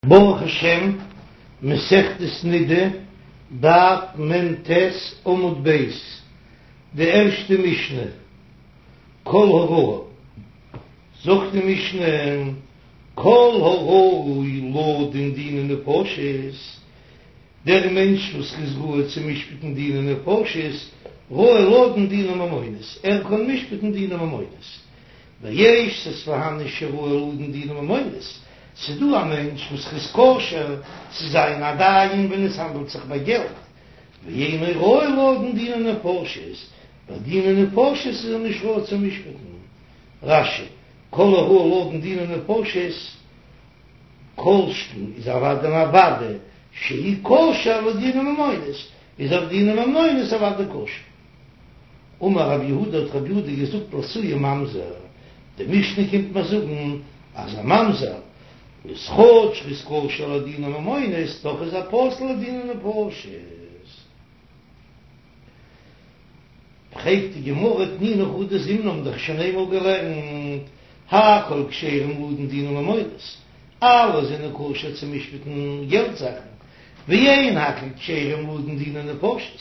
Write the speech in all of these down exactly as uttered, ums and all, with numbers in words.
ברוך השם, מסכת נידה, דף מ"ט עמוד ב', די ערשטע משנה, כל הראוי, זאגט די משנה, כל הראוי לדון דיני נפשות, דער מענטש וואס איז ראוי צו משפט'ן דיני נפשות, ראוי לדון דיני ממונות, ער קען משפט'ן דיני ממונות, ויש ס'איז פארהאן שראוי לדון דיני ממונות, ס'איז דא א מענטש וואס איז כשר צו זיין א דיין ווען עס האנדלט זיך ביי געלט, ואינו ראוי לדון דיני נפשות, ביי דיני נפשות איז ער נישט ראוי צו משפט'ן. רש"י, כל הראוי לדון דיני נפשות, כל שכן איז אוודאי און אוודאי שהוא כשר לדיני ממונות, איז אויף דיני ממונות אוודאי כשר. אמר רב יהודה האט רב יהודה געזאגט לאתויי ממזר, די משנה קומט מיר זאגן אז א ממזר איז כאטש ר'איז כשר לדיני ממונות דאך איז ער פסול לדיני נפשות. פרעגט די גמרא תנינא חדא זימנא האבן דאך שוין איינמאל געלערנט הכל כשרים לדון דיני ממונות, אלע זענען כשר צו משפט'ן געלט זאכן, ואין הכל כשרים לדון דיני נפשות,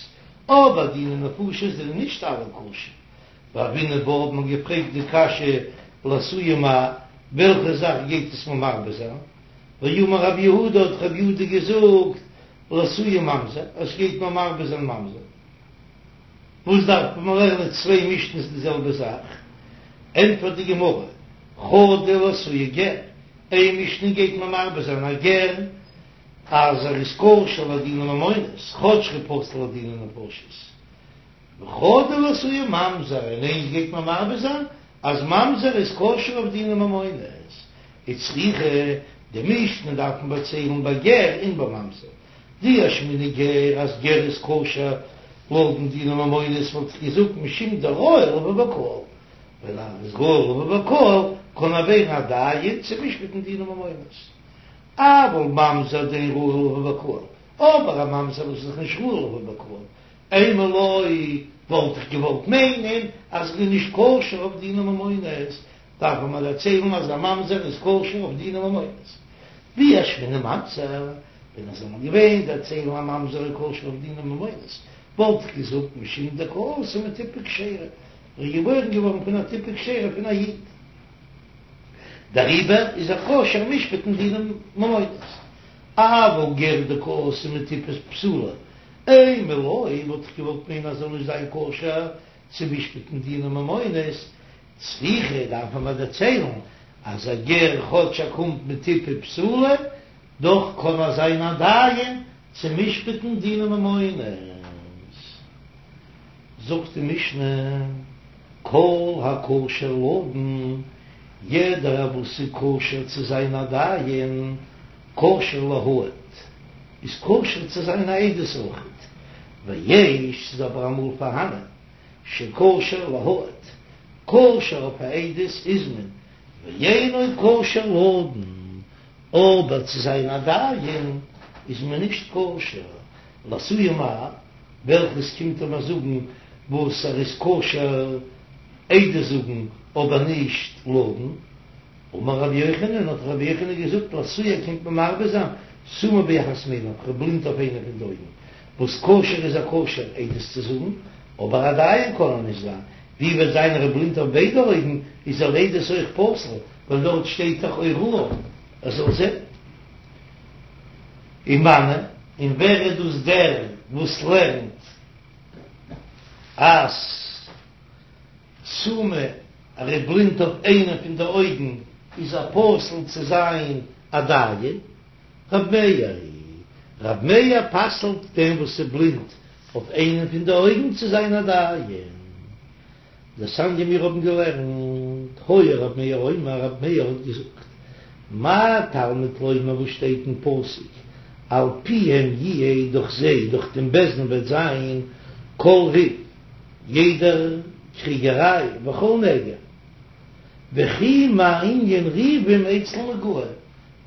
אבער דיני נפשות זענען נישט אלע כשר. והוינן בה האט מען געפרעגט די קשיא לאתויי מאי, וועלכע זאך גייט עס מיר מרבה זיין? ואמר רב יהודה האט רב יהודה געזאגט לאתויי ממזר, עס גייט מיר מרבה זיין ממזר. וואס דארף מען לערנען צוויי משניות די זעלבע זאך? ענטפערט די גמרא, חדא לאתויי גר, איין משנה גייט מיר מרבה זיין א גר, אז ער איז כשר לדיני ממונות, כאטש ער איז פסול לדיני נפשות. וחדא לאתויי ממזר, און איינס גייט מען מרבה זיין אז ממזר איז כשר אויף דיני ממונות. וצריכא, די משנה דארף מען דערציילן ביי גר און ביי ממזר. דאי אשמעינן גר אז גר איז כשר לדון דיני ממונות וואלט איך געזאגט משום דראוי לבוא בקהל, ווייל ער איז ראוי לבוא בקהל קען ער ווערן א דיין צו משפט'ן דיני ממונות. אבל ממזר דאין ראוי לבוא בקהל, אבער א ממזר וואס איז דאך נישט ראוי לבוא בקהל, אימא לא, וואלט איך געוואלט מיינען אז ער איז נישט כשר אויף דיני ממונות, דארף מען דערציילן אז א ממזר איז כשר אויף דיני ממונות. ואי אשמעינן ממזר, ווען עס זאל נאר געווען דערציילן א ממזר איז כשר אויף דיני ממונות, וואלט איך געזאגט משום דקאתי מטיפה כשרה, ער איז געבוירן געווארן פון א טיפה כשרה פון א איד. דעריבער איז ער כשר משפט'ן דיני ממונות. אבל גר דקאתי מטיפה פסולה, אימא לא, וואלט איך געוואלט מיינען אז ער זאל נישט זיין כשר צו משפט'ן דיני ממונות, צריכא דארף מען מיר דערציילן אז א גר כאטש ער קומט מטיפה פסולה, דאך קען ער זיין א דיין צו משפט'ן דיני ממונות. זאגט די משנה, כל הכשר לדון, יעדער וואס איז כשר צו זיין א דיין, כשר להעיד, איז כשר צו זיין א עדות אויכעט, ויש, ס'איז אבער אמאל פארהאנען, שכשר להעיד, כשר אויף א עדות איז מען, ואינו כשר לדון, אבער צו זיין א דיין איז מען נישט כשר, לאתויי מאי, וועלכעס קומט ער מיר זאגן וואס ער איז כשר עדות זאגן אבער נישט לדון? אמר רבי יוחנן, האט רבי יוחנן געזאגט לאתויי קומט מען מרבה זיין סומא באחת מעיניו, ער איז בלינד אויף איינע פון די אויגן, וואס כשר איז ער כשר עדות צו זאגן, אבער א דיין קען ער נישט זיין, ווי וועט זיין ער איז בלינד אויף ביידע אויגן איז ער לעדות אויך פסול, ווייל דארט שטייט דאך או ראה ער זאל זען. ומני, און ווער איז דאס דער וואס לערנט אז סומא ער איז בלינד אויף איינע פון די אויגן איז ער פסול צו זיין א דיין? רב מאיר היא, רב מאיר פסל'ט דעם וואס איז בלינד אויף איינע פון די אויגן צו זיין א דיין. דתניא מיר האבן געלערנט, היה רב מאיר אומר, רב מאיר האט געזאגט, מה תלמוד לומר וואס שטייט אין פסוק, על פיהם יהיה דורך זיי, דורך דעם בית דין וועט זיין, כל ריב, יעדער קריגעריי, וכל נגע. וכי מה ענין ריבים אצל נגעים,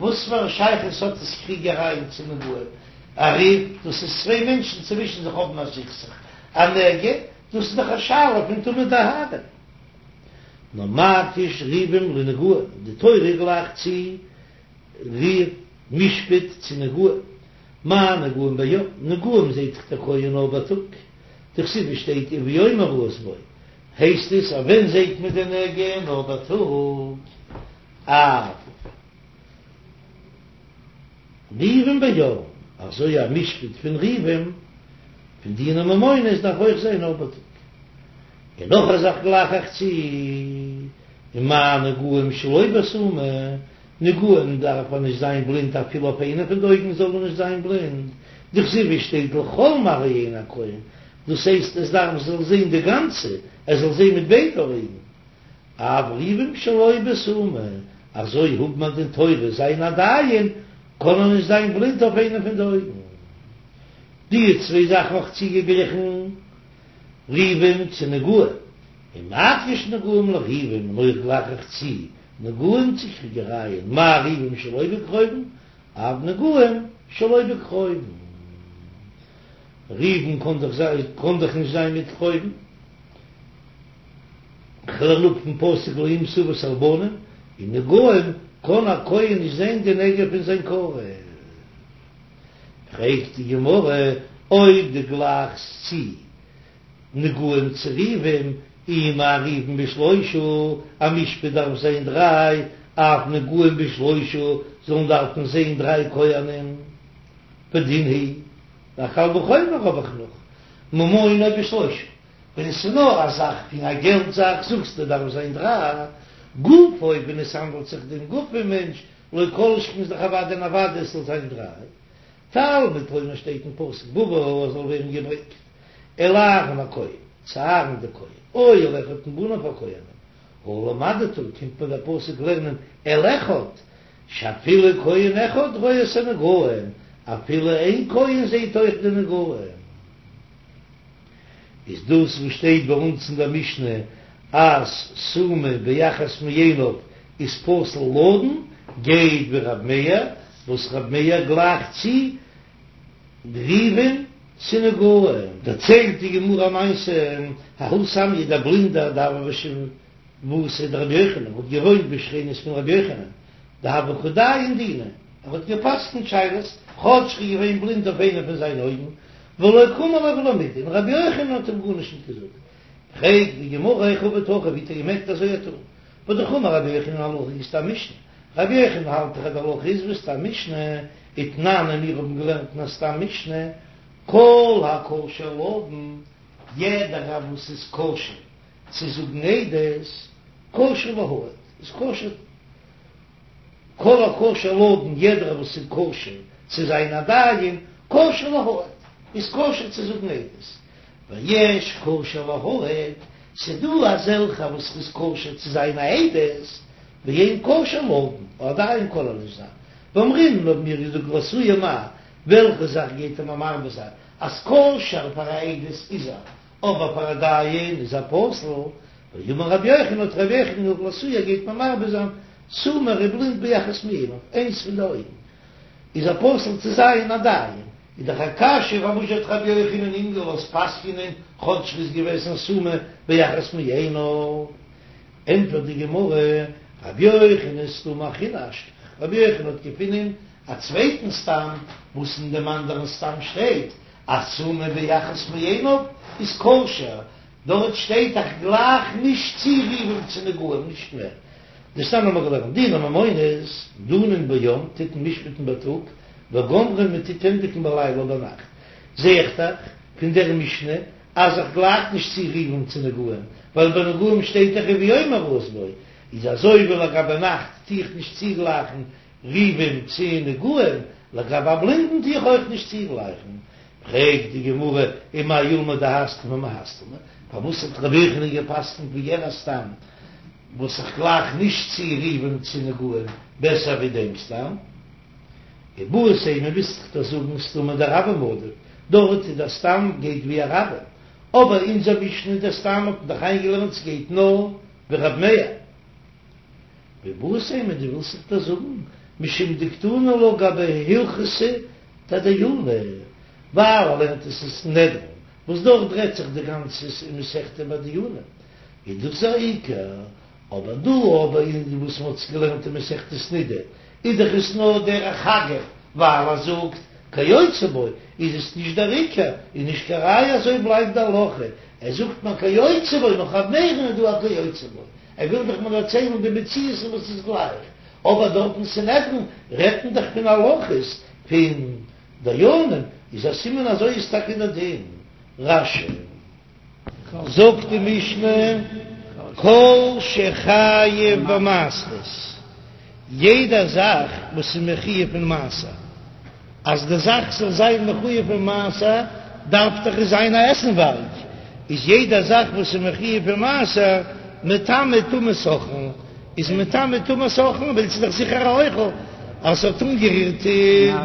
וואס פאר א שייכות האט עס קריגערייען צו נגעים? א ריב, דאס איז צוויי מענטשן צווישן זיך האבן א סכסוך, א נגע, דאס איז דאך א שאלה פון טומאה וטהרה. נאר מקיש ריבים לנגעים, די תורה גלייכט צו ריב משפט צו נגעים, מה נגעים ביום, נגעים זעט דאך דער כהן נאר בייטאג, דכתיב שטייט וביום הראות בו, הייסט עס אז ווען זעט מען די נגע נאר בייטאג? אף ריבים ביום, אזוי א משפט פון ריבים פון דיני ממונות דארף אויך זיין נאר בייטאג. און נאך א זאך גלייך איך צו, ומה נגעים שלא בסומא, נגעים דארף ער נישט זיין בלינד אפילו אויף איינע פון די אויגן זאל ער נישט זיין בלינד, דכתיב עס שטייט לכל מראה עיני הכהן, דאס הייסט עס דארף זאל זען די גאנצע, ער זאל זען מיט ביידע אויגן. אף ריבים שלא בסומא, אזוי האבן א דין תורה זיין א דיין, קען ער נישט זיין בלינד אויף איינע פון די אויגן. די צוויי זאכן האב איך צוגעגליכן ריבים צו נגעים, ומקיש נגעים לריבים, און אויך גלייך איך צו נגעים צו קריגערייען, מה ריבים שלא בקרובים, אף נגעים שלא בקרובים. ריבים קאן דאך זיין, קאן דאך נישט זיין מיט קרובים. כ'לערן אפ פון פסוק לא ימאס אבות על בנים, און נגעים קאן א כהן נישט זען די נגע פון זיין קרוב. פרעגט די גמרא, אויב דו גלייכסט צו נגעים צו ריבים, אי מה ריבים בשלושה, א משפט דארף זיין דריי, אף נגעים בשלושה זאלן דארפן זען דריי כהנים, ודין הוא, א קל וחומר האב איך נאך, ממונו בשלושה, ווען עס איז נאר א זאך פון א געלט זאך זאגסטו דארף זיין דריי, גופו ווען עס האנדלט זיך דעם גוף פון מענטש, לא כל שכן איז דאך אוודאי און אוודאי עס זאל זיין דריי. תלמוד לומר שטייט אין פסוק בבא עס זאל ווערן געברענגט אל אהרן הכהן צו אהרן דער כהן או אל אחד מבניו הכהנים הא למדת קומט מיר דער פסוק לערנען אל אחד שאפילו כהן אחד רואה את הנגעים אפילו איין כהן זעהט אויך די נגעים. איז דאס וואס שטייט ביי אונז אין דער משנה אז סומא באחת מעיניו איז פסול לדון, גייט ווי רב מאיר, וואס רב מאיר גלייכט צו ריבים צו נגעים. דערציילט די גמרא א מעשה, ההוא סמיא דער בלינדער דהוה בשיבבותיה דרבי יוחנן האט געוואוינט בשכנות פון רבי יוחנן דהוה קא דיין דינא, ער האט גע'פסק'נט שאלות כאטש ער איז געווען בלינד אויף איינע פון זיינע אויגן, ולא קאמר ליה ולא מידי, און רבי יוחנן האט אים גארנישט נישט געזאגט. פרעגט די גמרא היכי עביד הכי, ווי האט ער געמעגט אזוי טון? והאמר רבי יוחנן הלכה כסתם משנה, רבי יוחנן האלט דאך אז די הלכה איז ווי סתם משנה, ותנן און מיר האבן געלערנט אין א סתם משנה, כל הכשר לדון, יעדער וואס איז כשר צו זאגן עדות, כשר להעיד, איז כשר. כל הכשר לדון, יעדער וואס איז כשר צו זיין א דיין, כשר להעיד, איז כשר צו זאגן עדות. ויש כשר להעיד, ס'דא אזעלכע וואס איז כשר צו זיין א עדות, ואין כשר לדון, א דיין קען ער נישט זיין. ואמרינן האבן מיר געזאגט לאתויי מאי, וועלכע זאך גייט ער מיר מרבה זיין, אז כשר פאר א עדות איז ער, אבער פאר א דיין איז ער פסול, ואמר רבי יוחנן האט רבי יוחנן געזאגט לאתויי גייט מען מרבה זיין סומא ער איז בלינד באחת מעיניו איינס פון די אויגן איז ער פסול צו זיין א דיין איז דאך א קשיא פארוואס האט רבי יוחנן אים געלאזט פסק'נען כאטש ר'איז געוועזן סומא באחת מעיניו ענטפערט די גמרא רבי יוחנן סתמא אחרינא אשכח רבי יוחנן האט געפונען א צווייטן סתם וואס אין דעם אנדערן סתם שטייט אז סומא באחת מעיניו איז כשר דארט שטייט איך גלייך נישט צו ריבים צו נגעים נישט מער. דתנן האבן מיר געלערנט דיני ממונות דנין ביום טוט מען משפט'ן בייטאג וגומרין מען טוט ענדיגן בלילה ביינאכט. זע איך דאך פון דער משנה אז איך גלייך נישט צו ריבים צו נגעים ווייל ביי נגעים שטייט דאך וביום הראות בו איז אזוי ווי לגבי נאכט טו איך נישט צוגלייכן ריבים צו נגעים לגבי א בלינדן טו איך אויך נישט צוגלייכן פרעגט די גמרא ומאי אולמיה דהאי סתמא מהאי סתמא, פארוואס האט רבי יוחנן גע'פסק'נט ווי יענער סתם וואס איך גלייך נישט צו ריבים צו נגעים בעסער ווי דעם סתם? איבעית אימא ווילסט דאך זאגן סתמא דרבים עדיף, דארט איז דער סתם גייט ווי א רבים, אבער אונזער משנה דער סתם האט מען דאך איינגעלערנט ס'גייט נאר ווי רב מאיר. ואיבעית אימא דו ווילסט דאך זאגן משום דקתני לה גבי הלכתא דדייני, ווייל ער לערנט עס אין סנהדרין וואס דארט רעדט זיך די גאנצע מסכתא ביי דיונים, איז דאס א עיקר, אבער דא אבער אין וואס מען האט עס געלערנט אין מסכת נידה איז דאך עס נאר דרך אגב ווייל ער זאגט כיוצא בו איז עס נישט דער עיקר איז נישט קיין ראיה אזוי בלייבט די הלכה ער זאגט נאר כיוצא בו נאך ר' מאיר'ן איז דא א כיוצא בו ער וויל דאך מיר דערציילן די מציאות און וואס איז גלייך אבער דארט אין סנהדרין רעדט מען דאך פון הלכות פון דיינים איז א סימן אזוי איז טאקע דער דין רש"י. זאגט די משנה, כל שחייב במעשרות, יעדע זאך וואס איז מחויב פון מעשר, אז די זאך זאל זיין מחויב פון מעשר דארף דאך עס זיין א עסנווארג, איז יעדע זאך וואס איז מחויב פון מעשר מטמא טומאת אוכלין, איז מטמא טומאת אוכלין ווייל ס'איז דאך זיכער א אוכל אז ס'האט אנגערירט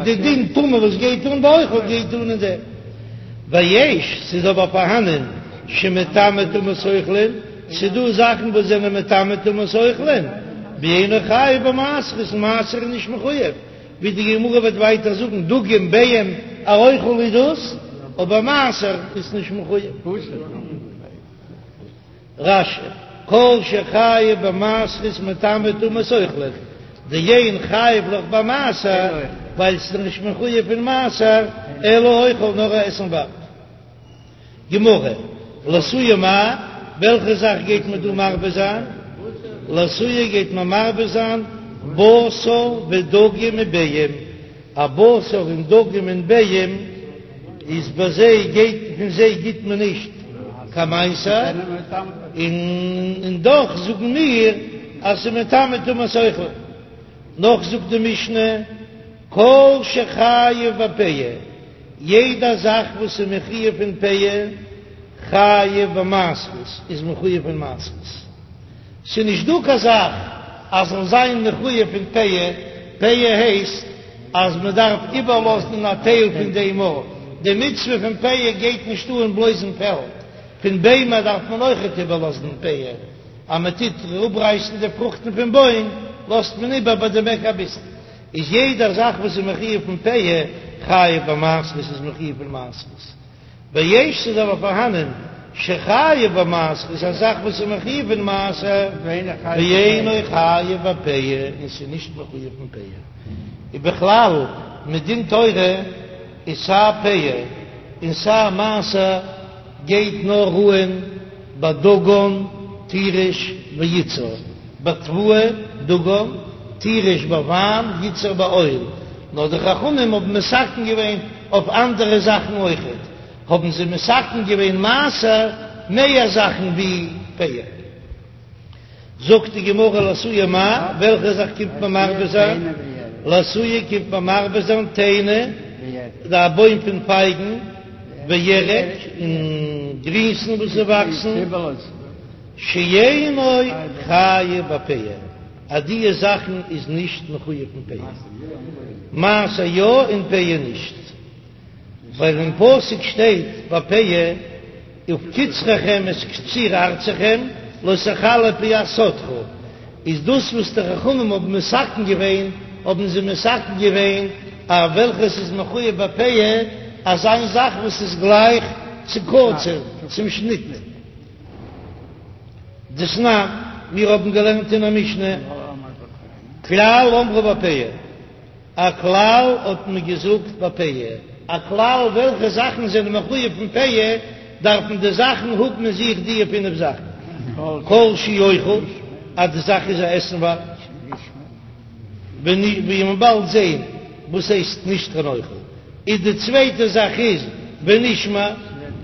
די דין טומאה וואס גייט אן ביי אוכל גייט אן אין דעם. ויש, ס'איז אבער פארהאנען שמטמא טומאת אוכלין, ס'איז דא זאכן וואס זענען מטמא טומאת אוכלין, ואינו חייב במעשרות, מעשר איז נישט מחויב, ווי די גמרא וועט ווייטער זאגן, דגים ביעים א אוכל איז דאס, אבער מעשר איז נישט מחויב. רש"י, כל שחייב במעשרות מטמא טומאת אוכלין, דאין חייב לך במעשר, ווייל ס'איז נישט מחויב פון מעשר, אלא אוכל נאר א עסנווארג. גמרא, לאתויי מאי, וועלכע זאך גייט מען דא מרבה זיין? לאתויי גייט מען מרבה זיין בשר ודגים וביעים, א בשר און דגים און ביעים איז ביי זיי גייט פון זיי גיט מען נישט קיין מעשר, און דאך זאגן מיר אז ס'איז מטמא טומאת אוכלין. נאך זאגט די משנה כל שחייב בפאה, יעדע זאך וואס איז מחויב פון פאה חייב במעשרות איז מחויב פון מעשרות. ס'איז נישט דא קיין זאך אז זאל זיין מחויב פון פאה, פאה הייסט אז מען דארף איבערלאזן א טייל פון דעם אור, די מצוה פון פאה גייט נישט אן בלויז אין פעלד, פון ביימער דארף מען אויכעט איבערלאזן פאה, אז מען טוט אראפרייסן די פרוכטן פון בוים לאזט מען איבער ביי דעם עק אביסל, איז יעדע זאך וואס איז מחויב פון פאה חייב במעשרות איז מחויב פון מעשרות. ויש ס'איז אבער פארהאנען שחייב במעשרות א זאך וואס איז מחויב אין מעשר ואינו חייב בפאה און ס'איז נישט מחויב אין פאה ובכלל מדין תורה איז סיי פאה און סיי מעשר גייט נאר אן ביי דגן תירוש ויצהר בתבואה דגן תירוש ביי וויין יצהר ביי אויל נאר די חכמים האבן מתקן געווען אויף אנדערע זאכן אויכעט האבן זיי מתקן געווען מעשר מער זאכן ווי פאה. זאגט די גמרא לאתויי מאי, וועלכע זאך קומט מען מרבה זיין? לאתויי קומט מען מרבה זיין תאנה, א בוים פון פייגן, וירק, און גרינסן וואס וואקסן, שאינו חייב בפאה. אז דיע זאכן איז נישט מחויב פון פאה, מעשר יא און פאה נישט, ווייל אין פסוק שטייט ביי פאה ובקצרכם את קציר ארצכם לא תכלה פאת שדך, איז דאס וואס די חכמים האבן מתקן געווען, האבן זיי מתקן געווען אז וועלכעס איז מחויב בפאה, אזא זאך וואס איז גלייך צו קציר, צום שניט. דתנן, מיר האבן געלערנט אין א משנה, כלל אמרו בפאה, א כלל האט מען געזאגט בפאה, א כלל וועלכע זאכן זענען מחויב פון פאה, דארפן די זאכן האבן אין זיך די פינף זאכן, כל שהוא אוכל, אז די זאך איז א עסנווארג, ווי מ'וועט באלד זען וואס הייסט נישט קיין אוכל. איז די צווייטע זאך איז ונשמר,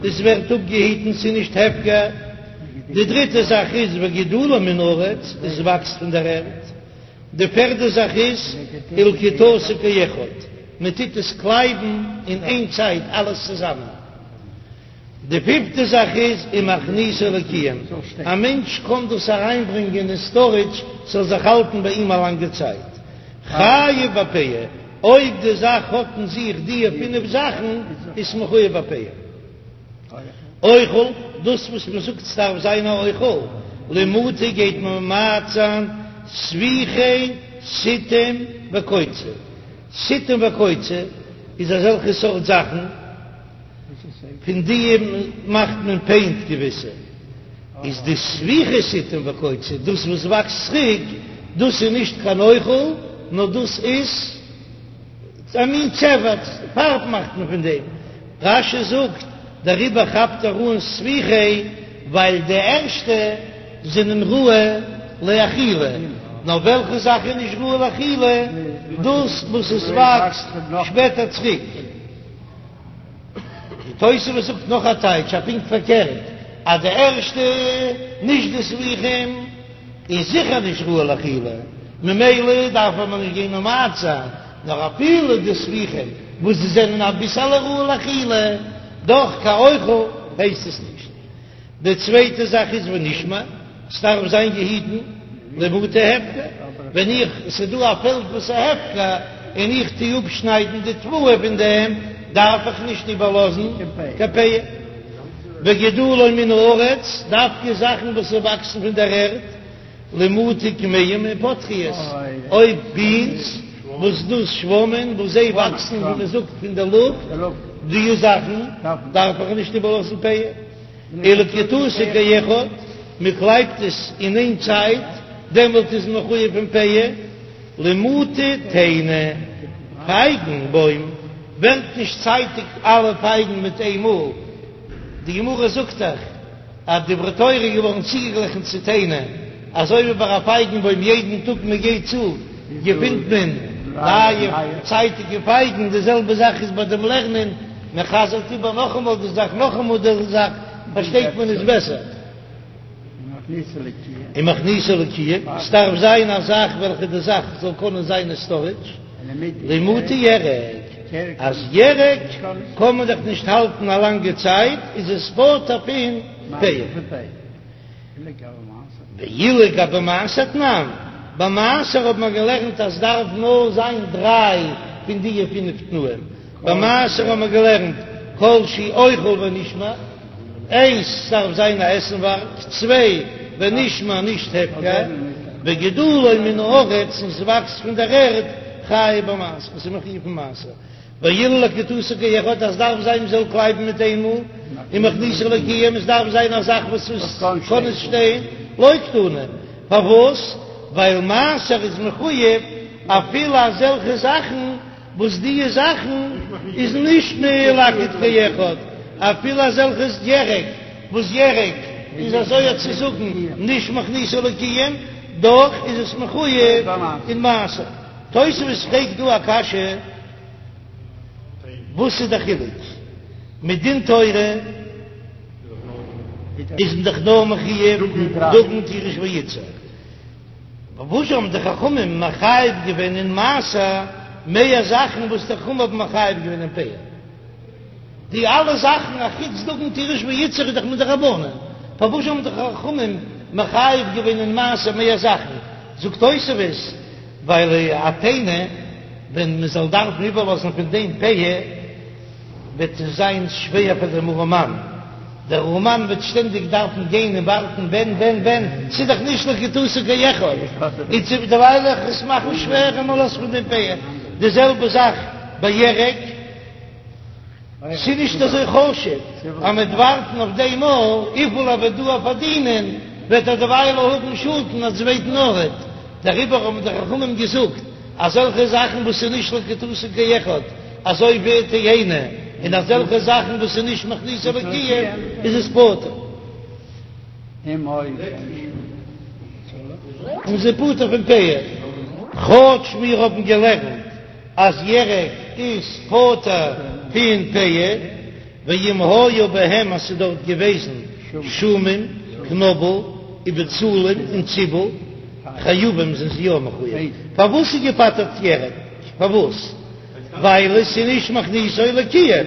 עס ווערט אפגעהיטן ס'איז נישט הפקר, די דריטע זאך איז וגידולו מן הארץ, עס וואקסט פון דער ערד, די פערדע זאך איז ולקיטתו כאחד, מען טוט עס קלייבן אין איין צייט אלעס צוזאמען, די פיפטע זאך איז ומכניסו לקיום, א מענטש קען דאס אריינברענגען אין סטארעדזש ס'זאל זיך האלטן ביי אים א לאנגע צייט, חייב בפאה. אויב די זאך האט אין זיך דיע פינף זאכן איז מחויב בפאה. אוכל, דאס וואס מען זאגט ס'דארף זיין א אוכל, למעוטי גייט מען ממעט זיין ספיחי סיטים וקוצה, סיטים וקוצה איז אזעלכע סארט זאכן, פון די מאכט מען פעינט געוויסע, איז די ספיחי סיטים וקוצה דאס וואס וואקסט צוריק, דאס איז נישט קיין אוכל נאר דאס איז א מין צבע, פארב מאכט מען פון דעם. רש"י זאגט, דעריבער כאפט ער אן ספיחי, ווייל די ערשטע זענען ראוי לאכילה, נאר וועלכע זאך איז נישט ראוי לאכילה? דאס וואס עס וואקסט שפעטער צוריק. די תוספות זאגט נאך א טייטש, א פונקט פארקערט, אז די ערשטע, נישט די ספיחים, איז זיכער נישט ראוי לאכילה, ממילא דארף מען נישט גיין ממעט זיין, נאר אפילו די ספיחים וואס זיי זענען אביסעלע ראוי לאכילה, דאך קיין אוכל הייסט עס נישט. די צווייטע זאך איז ונשמר, ס'דארף זיין געהיטן למעוטי הפקר, ווען איך, ס'איז דא א פעלד וואס איז הפקר און איך טו אפשניידן די תבואה פון דעם, דארף איך נישט איבערלאזן קיין פאה. וגידולו מן הארץ, דווקא זאכן וואס וואקסן פון דער ערד, למעוטי כמהין ופטריות, אויב בינס, וואס דאס שוואמען וואס זיי וואקסן ווי מען זאגט פון דער לופט, די זאכן דארף איך נישט איבערלאזן פאה. ולקיטתו כאחד, מען קלייבט עס אין איין צייט, דעמאלט איז מען מחויב פון פאה. למעוטי תאנה, פייגן בוים ווערט נישט צייטיג אלע פייגן מיט איין מאל, די גמרא זאגט דאך אז דברי תורה איז געווארן צוגעגליכן צו תאנה, אזוי ווי ביי א פייגן בוים יעדן טאג מען גייט צו געפינט מען נייע צייטיגע פייגן, די זעלבע זאך איז ביי דעם לערנען, מען חזר'ט איבער נאכאמאל די זאך נאכאמאל די זאך, פארשטייט מען עס בעסער. ומכניסו לקיום, ס'דארף זיין א זאך וועלכע די זאך זאל קענען זיין אין סטארעדזש, למעוטי ירק, אז ירק קען מען דאך נישט האלטן א לאנגע צייט, איז עס פטור פון פאה. ואילו גבי מעשר תנן, ביי מעשר האט מען געלערנט אז ס'דארף נאר זיין דריי פון דיע פינף תנאים, ביי מעשר האט מען געלערנט כל שהוא אוכל ונשמר, איינס ס'דארף זיין א עסנווארג, צוויי ונשמר נישט הפקר, וגידולו מן הארץ און ס'וואקסט פון דער ערד, חייב במעשר, ס'איז מחויב פון מעשר, ואילו לקיטתו כאחד אז ס'דארף זיין מ'זאל קלייבן מיט איינמאל, ומכניסו לקיום עס דארף זיין א זאך וואס עס קען עס שטיין, לא קתני, פארוואס? ווייל מעשר איז מחויב אפילו אזעלכע זאכן וואס דיע זאכן איז נישט מלקט כאחד, אפילו אזעלכעס ירק וואס ירק איז אזוי צו זאגן נישט מכניסו לקיום, דאך איז עס מחויב אין מעשר. תוספות פרעגט דא א קשיא, וואס איז די חילוק? מדין תורה איז מען דאך נאר מחויב דגן תירוש ויצהר, פארוואס האבן די חכמים מחייב געווען אין מעשר מער זאכן וואס די חכמים האבן מחייב געווען אין פאה? די אלע זאכן אחוץ דגן תירוש ויצהר איז דאך מדרבנן, פארוואס האבן די חכמים מחייב געווען אין מעשר מער זאכן? זאגט תוספות, ווייל א תאנה ווען מען זאל דארפן איבערלאזן פון דעם פאה, וועט עס זיין שווער פאר דעם ארעמאן, דער ארעמאן וועט שטענדיג דארפן גיין און ווארטן ווען ווען ווען, ס'איז דאך נישט לקיטתו כאחד, און צו דערווייל איך עס מאכן שווער און מ'לאזט פון דעם פאה, די זעלבע זאך ביי ירק, ס'איז נישט אזוי חשוב אז מ'וועט ווארטן אויף דעם מאל, וויפיל ער וועט דא פארדינען וועט ער דערווייל האבן שאדן א צווייטן ארט, דעריבער האבן די חכמים געזאגט אזעלכע זאכן וואס איז נישט לקיטתו כאחד, אזוי ווי תאנה, און אזעלכע זאכן וואס איז נישט מכניסו לקיום איז עס פטור. און ס'איז פטור פון פאה. כאטש מיר האבן געלערנט אז ירק איז פטור פון פאה, ואם היה בהם אז ס'איז דארט געוועזן שומים, קנאבל, ובצלים און ציבל, חייבים זענען זיי יא מחויב. פארוואס איז געפטר'ט ירק? פארוואס? ווייל עס איז נישט מכניסו לקיום,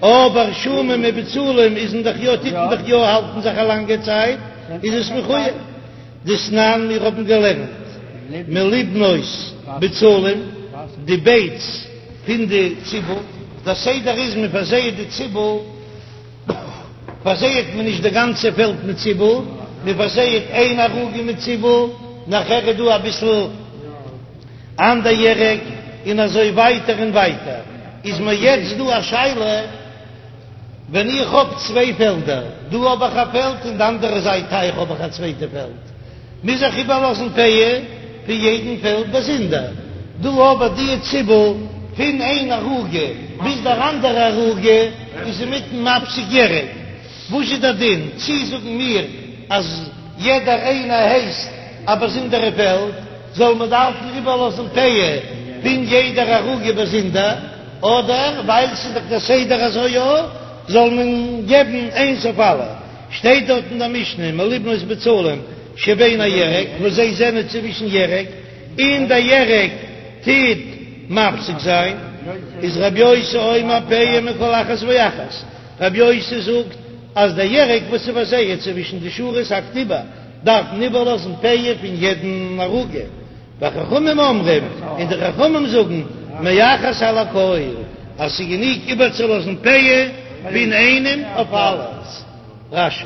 אבער שומים ובצלים איז מען דאך יא, טוט מען דאך יא האלטן זיך א לאנגע צייט, איז עס מחויב. דתנן מיר האבן געלערנט מלבנות בצלים, די בייטס פון די ציבל, דער סדר איז מען פארזייעט די ציבל, פארזייעט מען נישט די גאנצע פעלד מיט ציבל, מען פארזייעט איין ערוגה מיט ציבל, נאכער איז דא אביסל אנדער ירק, און אזוי ווייטער און ווייטער. איז מיר יעצט דא א שאלה, ווען איך האב צוויי פעלדער, דא האב איך א פעלד און די אנדערע זייט טייך האב איך א צווייטע פעלד, מוז איך איבערלאזן פאה פון יעדן פעלד באזונדער? דא אבער די ציבל פון איין ערוגה ביז דער אנדערע ערוגה איז אינמיטן מפסיק ירק, וואס איז דער דין? צי זאגן מיר אז יעדער איינער הייסט א באזונדערע פעלד, זאל מען דארפן איבערלאזן פאה פון יעדער ערוגה באזונדער, אדער ווייל ס'איז דאך דער סדר אזוי יא, זאל מען געבן איינס אויף אלע? שטייט דארט אין דער משנה מלובנות בצלים שבין הירק, וואס זיי זענען צווישן ירק, און דער ירק טוט מפסיק זיין, איז רבי יוסי אומר פאה מכל אחת ואחת, רבי יוסי זאגט אז דער ירק וואס איז פארזייעט צווישן די שורות האקט איבער, דארף מען איבערלאזן פאה פון יעדן ערוגה, וחכמים אומרים, און די חכמים זאגן, מאחת על הכל, אז ס'איז גענוג איבערצולאזן פאה פון איינעם אויף אלעס. רש"י.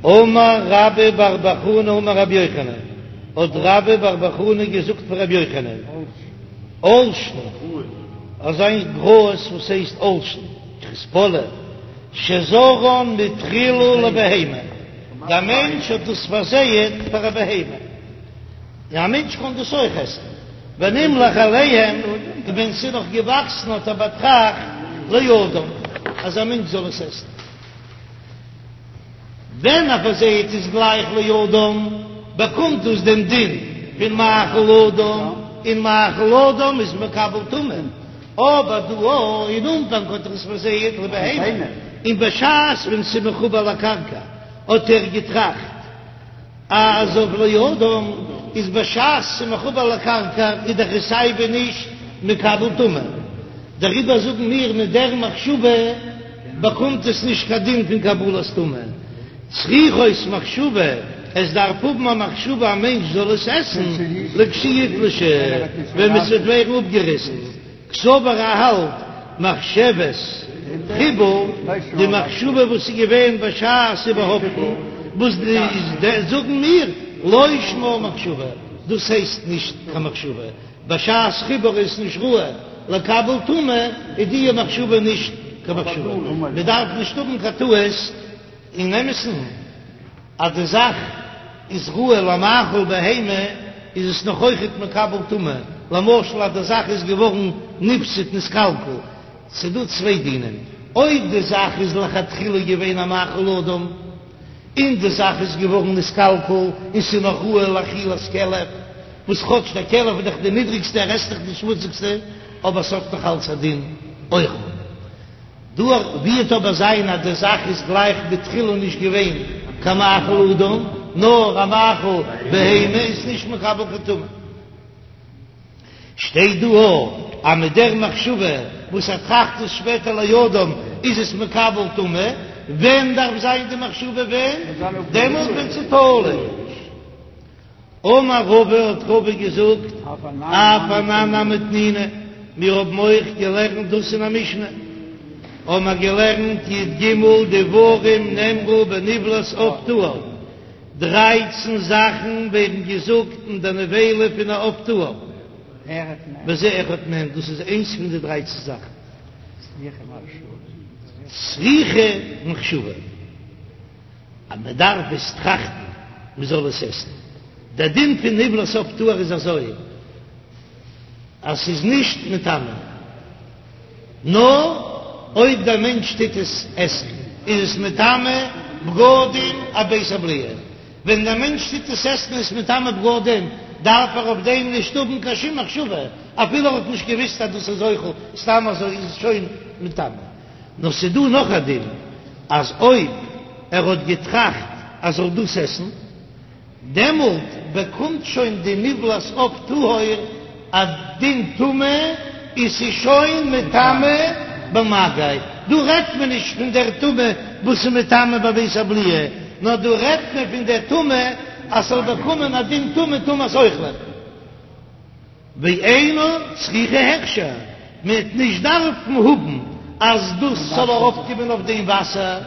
אמר רבה בר בר חנה אמר רבי יוחנן, האט רבה בר בר חנה געזאגט פון רבי יוחנן, עולשין, אזא גראז וואס הייסט עולשין, כריספולא, שזרען מתחילה לבהמה, דער מענטש האט דאס פארזייעט פאר א בהמה, און א מענטש קען דאס אויך עסן, ונמלך עליהם, און ווען ס'איז נאך געוואקסן האט ער באטראכט לאדם, אז א מענטש זאל עס עסן. ווען ער פארזייט עס גלייך לאדם, באקומט דאס דעם דין פון מאכל אדם, און מאכל אדם איז מקבל טומאה. אבער דא אויך אין אנפאנג האט ער עס פארזייט לבהמה, און בשעת ווען ס'איז מחובר לקרקע האט ער געטראכט אז אויף לאדם איז בשעת ס'איז מחובר לקרקע איז דאך עס סיי ווי נישט מקבל טומאה, דעריבער זאגן מיר מיט דער מחשבה באקומט עס נישט קיין דין פון קבלת טומאה. צריכות מחשבה, עס דארף האבן א מחשבה א מענטש זאל עס עסן, לכשיתלשו, ווען עס וועט ווערן אפגעריסן, קסבר ער האלט מחשבת חיבור, די מחשבה וואס איז געווען בשעת איבערהאפטן, וואס איז זאגן מיר, לא שמה מחשבה, דאס הייסט נישט קיין מחשבה, בשעת חיבור איז נישט ראוי לקבל טומאה, איז די מחשבה נישט קיין מחשבה, מען דארף נישט האבן קיין טעות. אין אמת'ן אז די זאך איז ראוי למאכל בהמה איז עס נאך אויכעט מקבל טומאה, למשל אז די זאך איז געווארן נפסד נתקלקל, ס'דא צוויי דינים, אויב די זאך איז לכתחילה געווען א מאכל אדם און די זאך איז געווארן נתקלקל און ס'איז נאך ראוי לאכילת כלב, וואס כאטש דער כלב איז דאך די נידריגסטע ער עסט דאך די שמוציגסטע, אבער ס'האט נאך אלץ א דין אוכל. דא וועט אבער זיין אז די זאך איז גלייך בתחילה נישט געווען קיין מאכל אדם נאר א מאכל בהמה איז נישט מקבל קיין טומאה. שטייט דא אויך אז מיט דער מחשבה וואס ער טראכט עס שפעטער לאדם איז עס מקבל טומאה, ווען דארף זיין די מחשבה ווען? דעמאלט ווען ס'איז תלוש. אמר רבא האט רבא געזאגט, אף אנן נמי תנינא, מיר האבן אויך געלערנט דאס אין א משנה, האבן מיר געלערנט י"ג דברים נאמרו בנבלת עוף טהור, דרייצן זאכן ווערן געזאגט אין די נבילה פון א עוף טהור, וזה אחד מהם, דאס איז איינס פון די דרייצן זאכן, צריכה מחשבה. אז מען דארף עס טראכטן מען זאל עס עסן. דער דין פון נבלת עוף טהור איז אזוי אז ס'איז נישט מטמא, נאר אויב דער מענטש טוט עס עסן איז עס מטמא בגדים א בית הבליעה, ווען דער מענטש טוט עס עסן איז עס מטמא בגדים, דארף ער אויף דעם נישט האבן קיין שום מחשבה, אפילו ער האט נישט געוויסט אז דאס איז אוכל, סתם אזוי איז עס שוין מטמא. נאר ס'דא נאך א דין, אז אויב ער האט געטראכט אז ער זאל דאס עסן, דעמאלט באקומט שוין די נבלת עוף טהור א דין טומאה, און ס'איז שוין מטמא במגע. דא רעדט מען נישט פון דער טומאה וואס איז מטמא בבית הבליעה, נאר דא רעדט מען פון דער טומאה אז ס'זאל באקומען א דין טומאה טומאת אוכלים. ואינה צריכה הכשר, מען וועט נישט דארפן האבן אז דאס זאל ארויפקומען אויף דעם וואסער,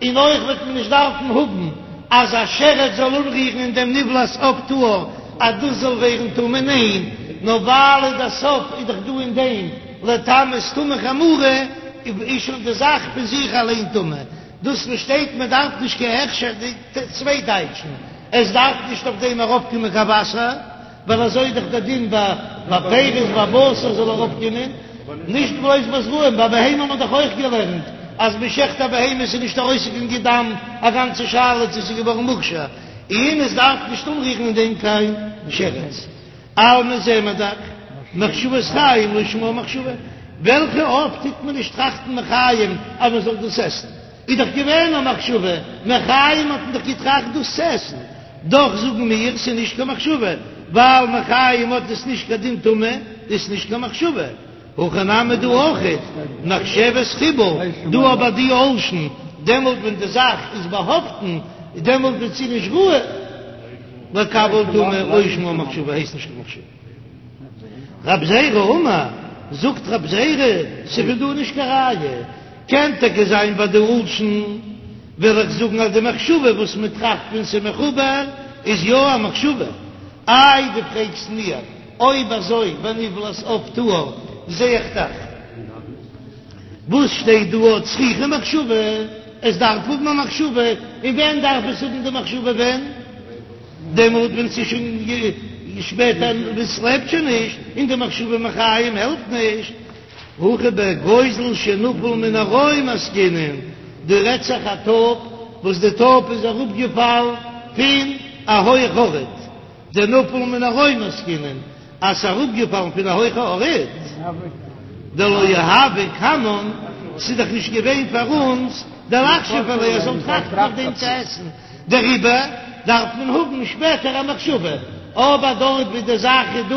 און אויך וועט מען נישט דארפן האבן אז א שרץ זאל אנרירן אין דעם נבלת עוף טהור אז דאס זאל ווערן טמא, ניין, נאר ווייל אין די סוף איז דאך דא אין דעם לטמאות טומאה חמורה, איז שוין די זאך פון זיך אליין טמא, דאס וואס שטייט מען דארף נישט קיין הכשר, די צוויי טייטשן, עס דארף נישט אויף דעם ארויפקומען קיין וואסער. ווייל אזוי איז דאך דער דין ביי ביי פירות ביי בשר זאל ארויפקומען, נישט בלויז ביי זרעים, ביי בהמה האט מען דאך אויך געלערנט אז מען שעכט א בהמה ס'איז נישט ארויסגעקומען דם, א גאנצע שאלה צו ס'איז געווארן מוכשר, און עס דארף נישט אנרירן אין דעם קיין שרץ. אלמא זעען מיר דאך, מחשבת חיים לא שמה מחשבה, וועלכע עוף טוט מען נישט טראכטן מחיים אז מען זאל דאס עסן? איז דאך געווען א מחשבה, מחיים האט מען דאך געטראכט דאס צו עסן, דאך זאגן מיר ס'איז נישט קיין מחשבה, ווייל מחיים האט עס נישט קיין דין טומאה, איז נישט קיין מחשבה. הכא נמי דא אויכעט, מחשבת חיבור, דא ביי די עולשין, דעמאלט ווען די זאך איז באהאפטן, דעמאלט ווען ס'איז נישט ראוי לקבל טומאה, לא שמה מחשבה הייסט נישט קיין מחשבה. רב זירא אמר, זאגט רב זירא, ס'איז פון דא נישט קיין ראיה. קען טאקע זיין ביי די עולשין, וועל איך זאגן אז די מחשבה וואס מען טראכט ווען ס'איז מחובר איז יא א מחשבה. איי דו פרעגסט מיר אויב אזוי בנבלת עוף טהור זע איך דאך וואס שטייט דא צריכה מחשבה, עס דארף האבן א מחשבה, און ווען דארף עס האבן די מחשבה ווען? דעמאלט ווען ס'איז שוין שפעטער ווען ס'לעבט שוין נישט און די מחשבה מחיים העלפט נישט. הכא בגוזל שנפל מן הרום עסקינן, דא רעדט זיך א טויב וואס די טויב איז אראפגעפאלן פון א הויך ארט, דנפל מן הרום עסקינן, אז ס'איז אראפגעפאלן פון א הויכע ארט, דלא הוה קמן, ס'איז דאך נישט געווען פאר אונז דלחשוב עליה אז זאל טראכטן אויף דעם צו עסן, דעריבער דארף מען האבן שפעטער א מחשבה, אבער דארט ווי די זאך איז דא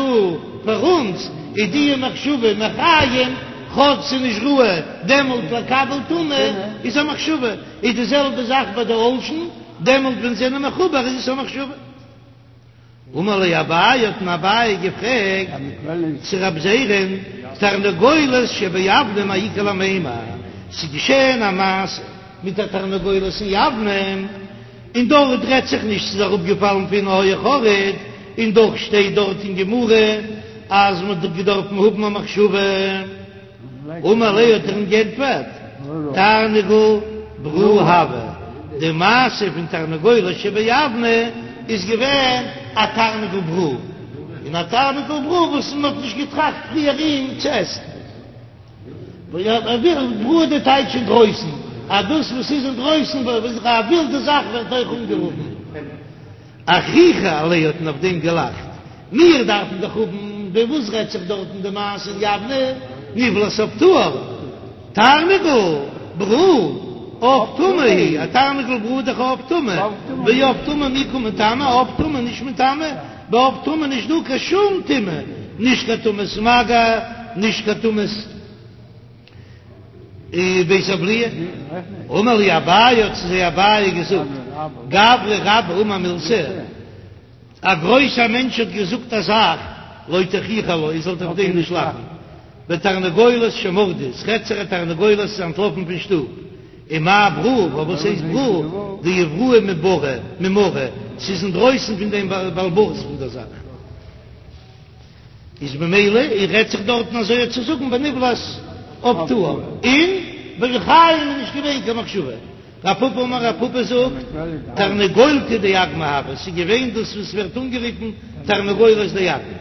פאר אונז, איז די מחשבה מחיים, כאטש ס'איז נישט ראוי דעמאלט לקבל טומאה, איז א מחשבה, איז די זעלבע זאך ביי די עולשין, דעמאלט ווען זיי זענען מחובר איז עס א מחשבה. אמר ליה אביי האט אים אביי געפרעגט צו רב זירא'ן, תרנגולת שביבנה מאי איכא למימר, ס'איז געשען א מעשה מיט א תרנגולת אין יבנה, און דארט רעדט זיך נישט ס'איז אראפגעפאלן פון א הויך ארט, און דאך שטייט דארט אין גמרא אז מ'האט געדארפן האבן א מחשבה. אמר ליה האט ער אים גענטפערט, תרנגול ברא הוה, די מעשה פון תרנגולת שביבנה איז געווען א תרנגול ברא, און א תרנגול ברא וואס מען האט נישט געטראכט פריער אים צו עסן. ברא די טייטש אינדרויסן, אז דאס וואס איז אינדרויסן, א ווילדע זאך ווערט אויך אנגערופן. אחוכי עליה האט מען אויף דעם געלאכט, מיר דארפן דאך האבן ווען וואס רעדט זיך דארטן די מעשה אין יבנה נבלת עוף טהור, תרנגול ברא עוף טמא הוא, א תרנגול ברא איז דאך א עוף טמא, ועוף טמא מי קא מטמא, א עוף טמא נישט מטמא, ביי עוף טמא נישט דא קיין שום טומאה, נישט קיין טומאת מגע, נישט קיין טומאת. בית הבליעה, אמר להו אביי האט צו זיי אביי געזאגט, גברא רבה אמר מילתא, א גרויסער מענטש האט געזאגט א זאך, לא תחוכו עלה, איר זאלט אויף דעם נישט לאכן, בתרנגולת שמרדה, ס'רעדט זיך א תרנגולת איז אנטלאפן פון שטוב, ומאי ברא, פארוואס הייסט ברא, דאיבראי מברא, ממרה, ס'איז אינדרויסן פון דעם בעל הבית פון דער זאך. איז ממילא איר רעדט זיך דארטן אזוי צו זאגן בנבלת עוף טהור און בחיים איז נישט געווען קיין מחשבה. רב פפא אמר רב פפא זאגט תרנגולתא דאגמא הוה ס'איז געווען דאס וואס ווערט אנגערופן תרנגולת דאגמא.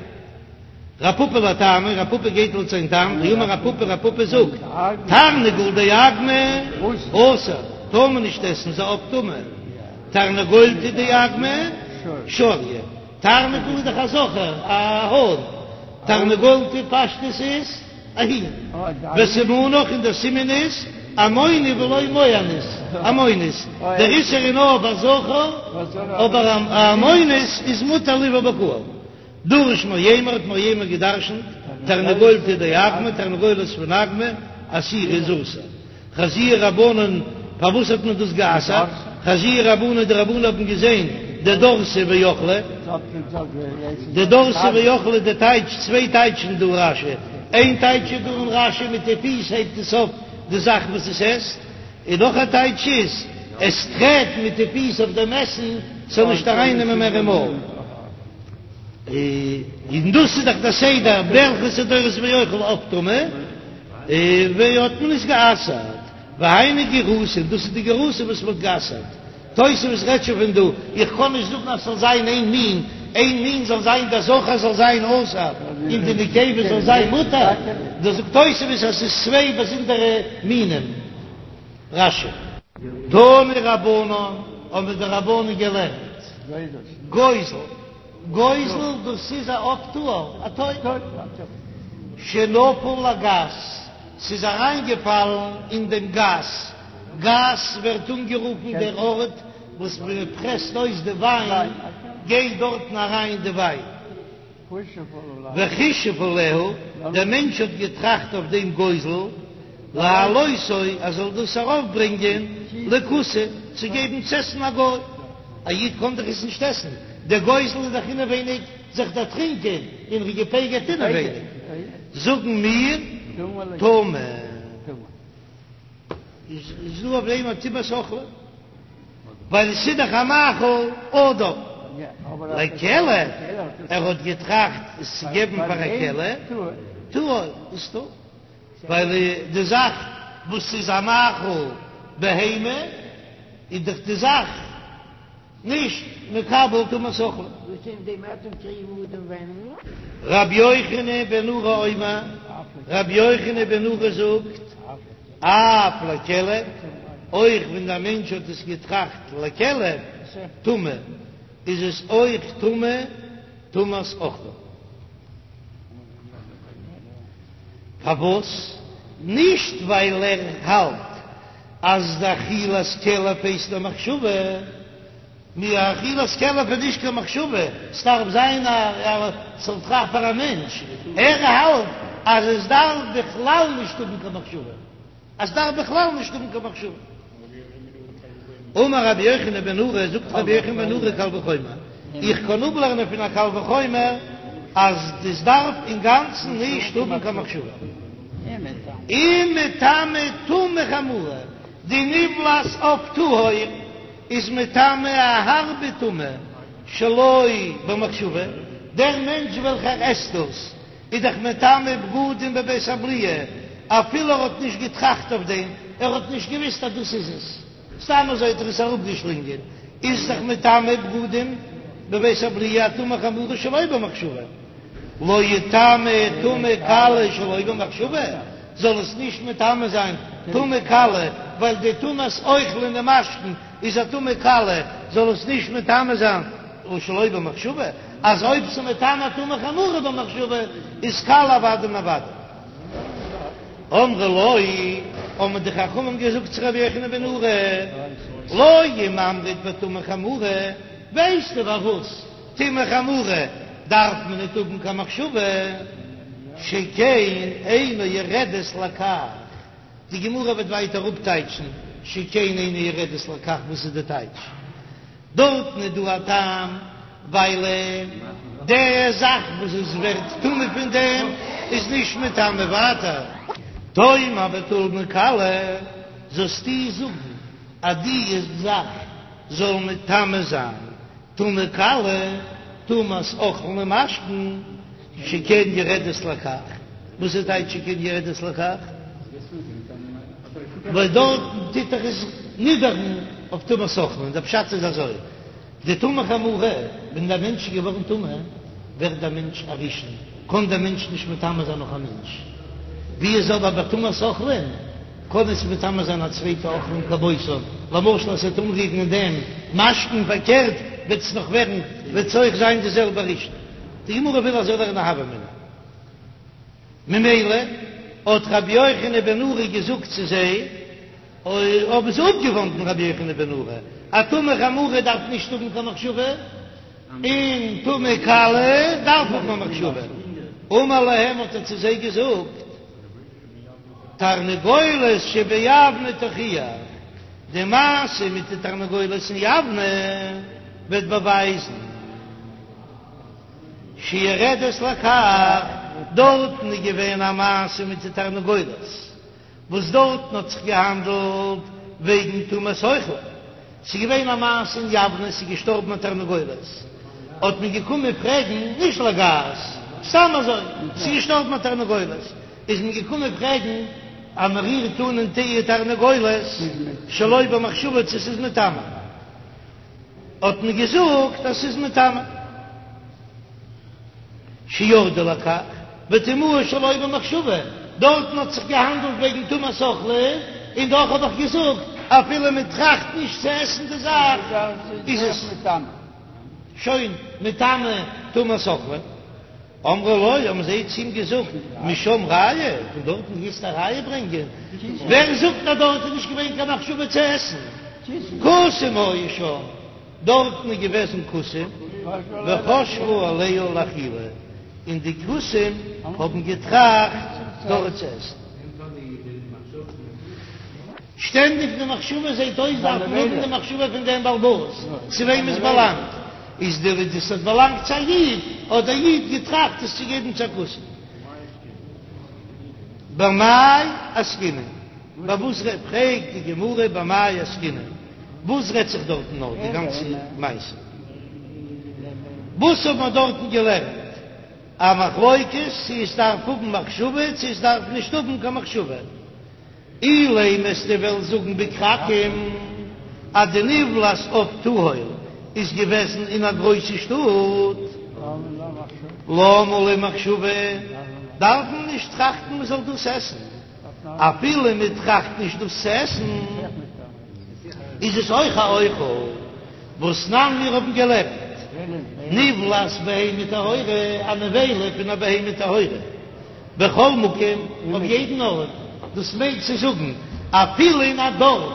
רב פפא לטעמיה רב פפא גייט לויט זיין טעם דאמר רב פפא רב פפא זאגט תרנגול דאגמא אסור טאר מען נישט עסן ס'איז א עוף טמא תרנגולתא דאגמא שריא. תרנגול איז דאך א זכר, א האן. תרנגולתא פשטות איז א הין. וסימנך און דער סימן איז עמוני ולא מוענית, עמונית. דער איסור איז נאר ביי זכר, אבער א עמונית איז מותר לבעול בקהל. דרש מרימר האט מרימר געדרשנט, תרנגולתא דאגמא, תרנגולת פון אגמא, אסירא איז אסור. חזיוה רבנן, פארוואס האט מען דאס גע'אסר'ט? חזיוה רבנן, די רבנן האבן געזען דדרסה ואכלה, דדרסה ואכלה די טייטש, צוויי טייטשן דא רש"י, איין טייטש איז דא אין רש"י מיט די פיס הייבט עס אויף די זאך וואס עס עסט, און נאך א טייטש איז עס טרעט מיט די פיס אויף דעם עסן ס'זאל נישט ארייננעמען מער אין מויל. און דאס איז דאך דער סדר, וועלכע ס'איז דורס ואוכל עוף טמא. און האט מען עס גע'אסר'ט, והיינו גירסא, דאס איז די גירסא וואס מען האט גע'אסר'ט, תוספות רעדט שוין פון דא, איך קען נישט זאגן אז ס'זאל זיין איין מין, איין מין זאל זיין דער זכר זאל זיין אסור און די נקבה זאל זיין מותר, דאס זאגט תוספות אז ס'איז צוויי באזונדערע מינים. רש"י. תנו רבנן, האבן די רבנן געלערנט, גוזל, גוזל דאס איז א עוף טהור, א טויב, שנפל לגת, ס'איז אריינגעפאלן אין דעם גת, גת ווערט אנגערופן דער ארט וואס מען פרעסט אויס די וויין, גייט דארטן אריין די וויין. וחישב עליה, דער מענטש האט געטראכט אויף דעם גוזל, להעלותו, ער זאל דאס ארויפברענגען לכותי, צו געבן צו עסן א גוי, א איד קען דאך עס נישט עסן, דער גוזל איז דאך אינעווייניג זיך דערטרינקען און ער געפגר'ט אינעווייניג, זאגן מיר, טמא. איז דא אויף דעם א טומאת אוכלים? ווייל עס איז דאך א מאכל אדם. לכלב, ער האט געטראכט עס צו געבן פאר א כלב, טהור איז טהור, ווייל די זאך וואס איז א מאכל בהמה איז דאך די זאך נישט מקבל טומאת אוכלים. רבי יוחנן בן נורי אומר, רבי יוחנן בן נורי זאגט, אף לכלב, אויך ווען דער מענטש האט עס געטראכט לכלב, טמא, איז עס אויך טמא טומאת אוכלים. פארוואס? נישט ווייל ער האלט אז די אכילת כלב הייסט א מחשבה, מיר אכילת כלב איז נישט קיין מחשבה, ס'דארף זיין א ס'זאל טראכטן פאר א מענטש, ער האלט אז עס דארף בכלל נישט האבן קיין מחשבה, עס דארף בכלל נישט האבן קיין מחשבה. אמר רבי יוחנן בן נורי, זאגט רבי יוחנן בן נורי קל וחומר, איך קען אפלערנען פון א קל וחומר אז עס דארף אינגאנצן נישט האבן קיין מחשבה. אם מטמא טומאה חמורה, די נבלת עוף טהור איז מטמא א הארבע טומאה שלא במחשבה, דער מענטש וועלכער עסט דאס איז דאך מטמא בגדים בבית הבליעה, אפילו ער האט נישט געטראכט אויף דעם, ער האט נישט געוויסט אז דאס איז עס, סתם אזוי האט ער עס אראפגעשלינגען, איז דאך מטמא בגדים בבית הבליעה א טומאה חמורה שלא במחשבה, לא יטמא טומאה קלה שלא במחשבה, זאל עס נישט מטמא זיין טומאה קלה, ווייל די טומאת אוכלין ומשקין איז א טומאה קלה, זאל עס נישט מטמא זיין שלא במחשבה, אז אויב ס'מטמא טומאה חמורה במחשבה איז קלה אוודאי און אוודאי. אמרו לו, האבן די חכמים געזאגט צו רבי יוחנן בן נורי, לא אם אמרת בטומאה חמורה, ווייסטו פארוואס טומאה חמורה דארף מען ניט האבן קיין מחשבה, שכן אינה יורדת לכך, די גמרא וועט ווייטער אפטייטשן שכן אינה יורדת לכך, וואס איז די טייטש? דארטן איז דא א טעם, ווייל די זאך וואס עס ווערט טמא פון דעם איז נישט מטמא ווייטער. תאמר בטומאה קלה, זאלסטו זאגן אז די זאך זאל מטמא זיין טומאה קלה, טומאת אוכלין ומשקין, שכן יורדת לכך, וואס איז טייטש שכן יורדת לכך? ווייל דארטן טוט דאך עס נידערן אויף טומאת אוכלין, דער פשט איז אזוי, די טומאה חמורה, ווען דער מענטש איז געווארן טמא, ווערט דער מענטש א ראשון, קען דער מענטש נישט מטמא זיין נאך א מענטש, ווי איז אבער ביי טומאת אוכלין, קען עס מטמא זיין א צווייטע אוכלין כמותו, למשל אז ס'וועט אנרירן אין דעם משקין פארקערט וועט עס נאך ווערן, וועט עס אויך זיין די זעלבע ראשון. די גמרא וויל אזוי לערנען א הוה אמינא. ממילא האט רבי יוחנן בן נורי געזאגט צו זיי, האבן זיי אפגעוואנדן רבי יוחנן בן נורי, אז טומאה חמורה דארף נישט האבן קיין מחשבה, און טומאה קלה דארף האבן א מחשבה. אמר להם האט ער צו זיי געזאגט, תרנגולת שביבנה תוכיח, די מעשה מיט די תרנגולת אין יבנה וועט באווייזן, שיורדת לכך, דארטן איז געווען א מעשה מיט די תרנגולת, וואס דארטן האט זיך געהאנדלט וועגן טומאת אוכלים, ס'איז געווען א מעשה אין יבנה, ס'איז געשטארבן א תרנגולת, האט מען געקומען פרעגן, נישט לגת, סתם אזוי, ס'איז געשטארבן א תרנגולת, איז מען געקומען פרעגן אז מען רירט אן אין די תרנגולת שלא במחשבה צו ס'איז מטמא. האט מען געזאגט אז ס'איז מטמא. שירדו לכך, וטמאוה שלא במחשבה, דארטן האט זיך געהאנדלט וועגן טומאת אוכלים, און דאך האב איך געזאגט אפילו מען טראכט נישט צו עסן די זאך איז עס שוין מטמא טומאת אוכלים. אמרו לו, האבן זיי צו אים געזאגט, משם ראיה, פון דארטן גייסטו א ראיה ברענגען? ווער זאגט אז דארט איז נישט געווען קיין מחשבה צו עסן? כותים היו שם, דארטן איז געוועזן כותים, וחשבו עליה לאכילה, און די כותים האבן געטראכט דארט צו עסן. שטענדיג די מחשבה זעט אויס דארף מען האבן די מחשבה פון דעם בעל הבית צו וועם עס באלאנגט, איז די וואס דאס האט באלאנגט צו א איד, האט דער איד געטראכט עס צו געבן צו א כותי. במאי עסקינן? ביי וואס רעדט, פרעגט די גמרא במאי עסקינן, וואס רעדט זיך דארטן נאר די גאנצע מעשה? וואס האט מען דארטן געלערנט? א מחלוקת צו עס דארף האבן מחשבה צו עס דארף נישט האבן קיין מחשבה. אילימא וועסטו וועלן זאגן בכרכים אז די נבלת עוף טהור איז געוועזן אין א גרויסע שטאט, למה לי מחשבה, דארף מען נישט טראכטן מען זאל דאס עסן, אפילו מען טראכט נישט דאס צו עסן איז עס אויך א אוכל, והתנן מיר האבן געלערנט נבלת בהמה טהורה, א נבילה פון א בהמה טהורה. בכל מקום, אויף יעדן ארט, דאס מיינט צו זאגן, אפילו אין א דארף,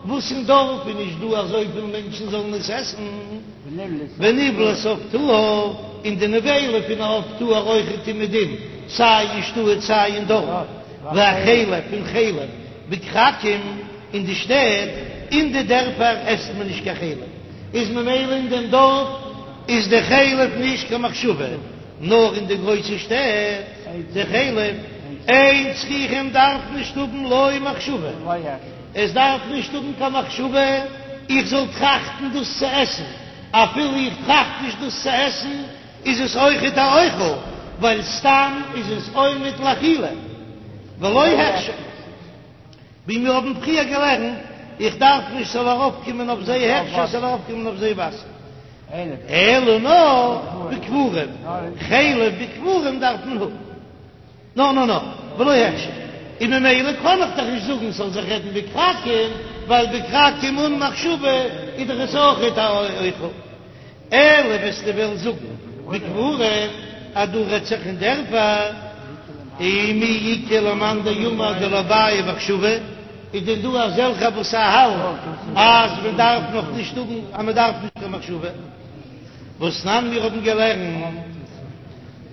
וואס אין דארף איז נישט דא אזויפיל מענטשן זאלן עס עסן, ונבלת עוף טהור, און די נבילה פון א עוף טהור אויכעט אומעדום, סיי אין שטאט סיי אין דארף, והחלב און חלב בכרכים, אין די שטעט, אין די דערפער עסט מען נישט קיין חלב, איז ממילא אין דעם דארף איז די חלב נישט קיין מחשבה. נאר אין די גרויסע שטעט, די חלב, אין צריכים דארף נישט האבן לא מחשבה, עס דארף נישט האבן קיין מחשבה איך זאל טראכטן דאס צו עסן, אפילו איך טראכט נישט דאס צו עסן איז עס אויכעט א אוכל, ווייל סתם איז עס עומד לאכילה ולא הכשר. ווי מיר האבן פריער געלערנט, איך דארף נישט ס'זאל ארויפקומען אויף זיי הכשר, ס'זאל ארויפקומען אויף זיי וואסער, אלא נאר בקברים, חלב בקברים דארף מען האבן, נאר נאר נאר, ולא הכשר, און ממילא קען איך דאך נישט זאגן ס'זאל זיך רעדן בכרכים, ווייל בכרכים אן מחשבה איז דאך עס אויכעט א אוכל. אלא וועסטו וועלן זאגן בקברים אז דא רעדט זיך אין דערפער, ומי איכא למאן דאמר דלא בעי מחשבה, איז דען דא אזעלכע וואס האלט אז מען דארף נאך נישט האבן אז מען דארף נישט קיין מחשבה? והתנן מיר האבן געלערנט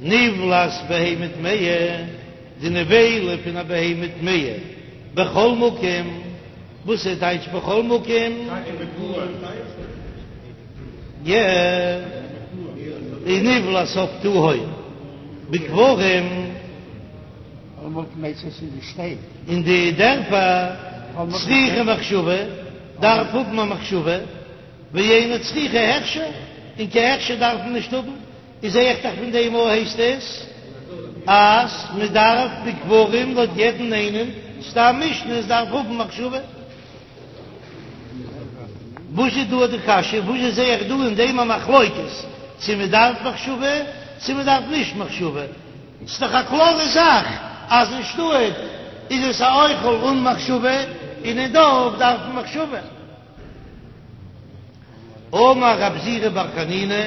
נבלת בהמה טמאה, די נבילה פון א בהמה טמאה בכל מקום, וואס איז טייטש בכל מקום? ונבלת עוף טהור בקברים אין די דערפער צריכה מחשבה דארף האבן א מחשבה ואינה צריכה הכשר און קיין הכשר דארף מען נישט האבן איז זעה איך דאך פון דעם אויך הייסט עס אז מען דארף בקברים לויט יעדן איינעם סתם משנה עס דארף האבן מחשבה. וואס איז דא די קשיא? וואס זשע זעה איך דא אין דעם א מחלוקת צו מען דארף מחשבה צו מען דארף נישט מחשבה? ס'איז דאך א קלארע זאך אז אין שטאט איז עס א אוכל אן מחשבה און אין דארף דארף מען מחשבה. אמר רב זירא בר חנינא,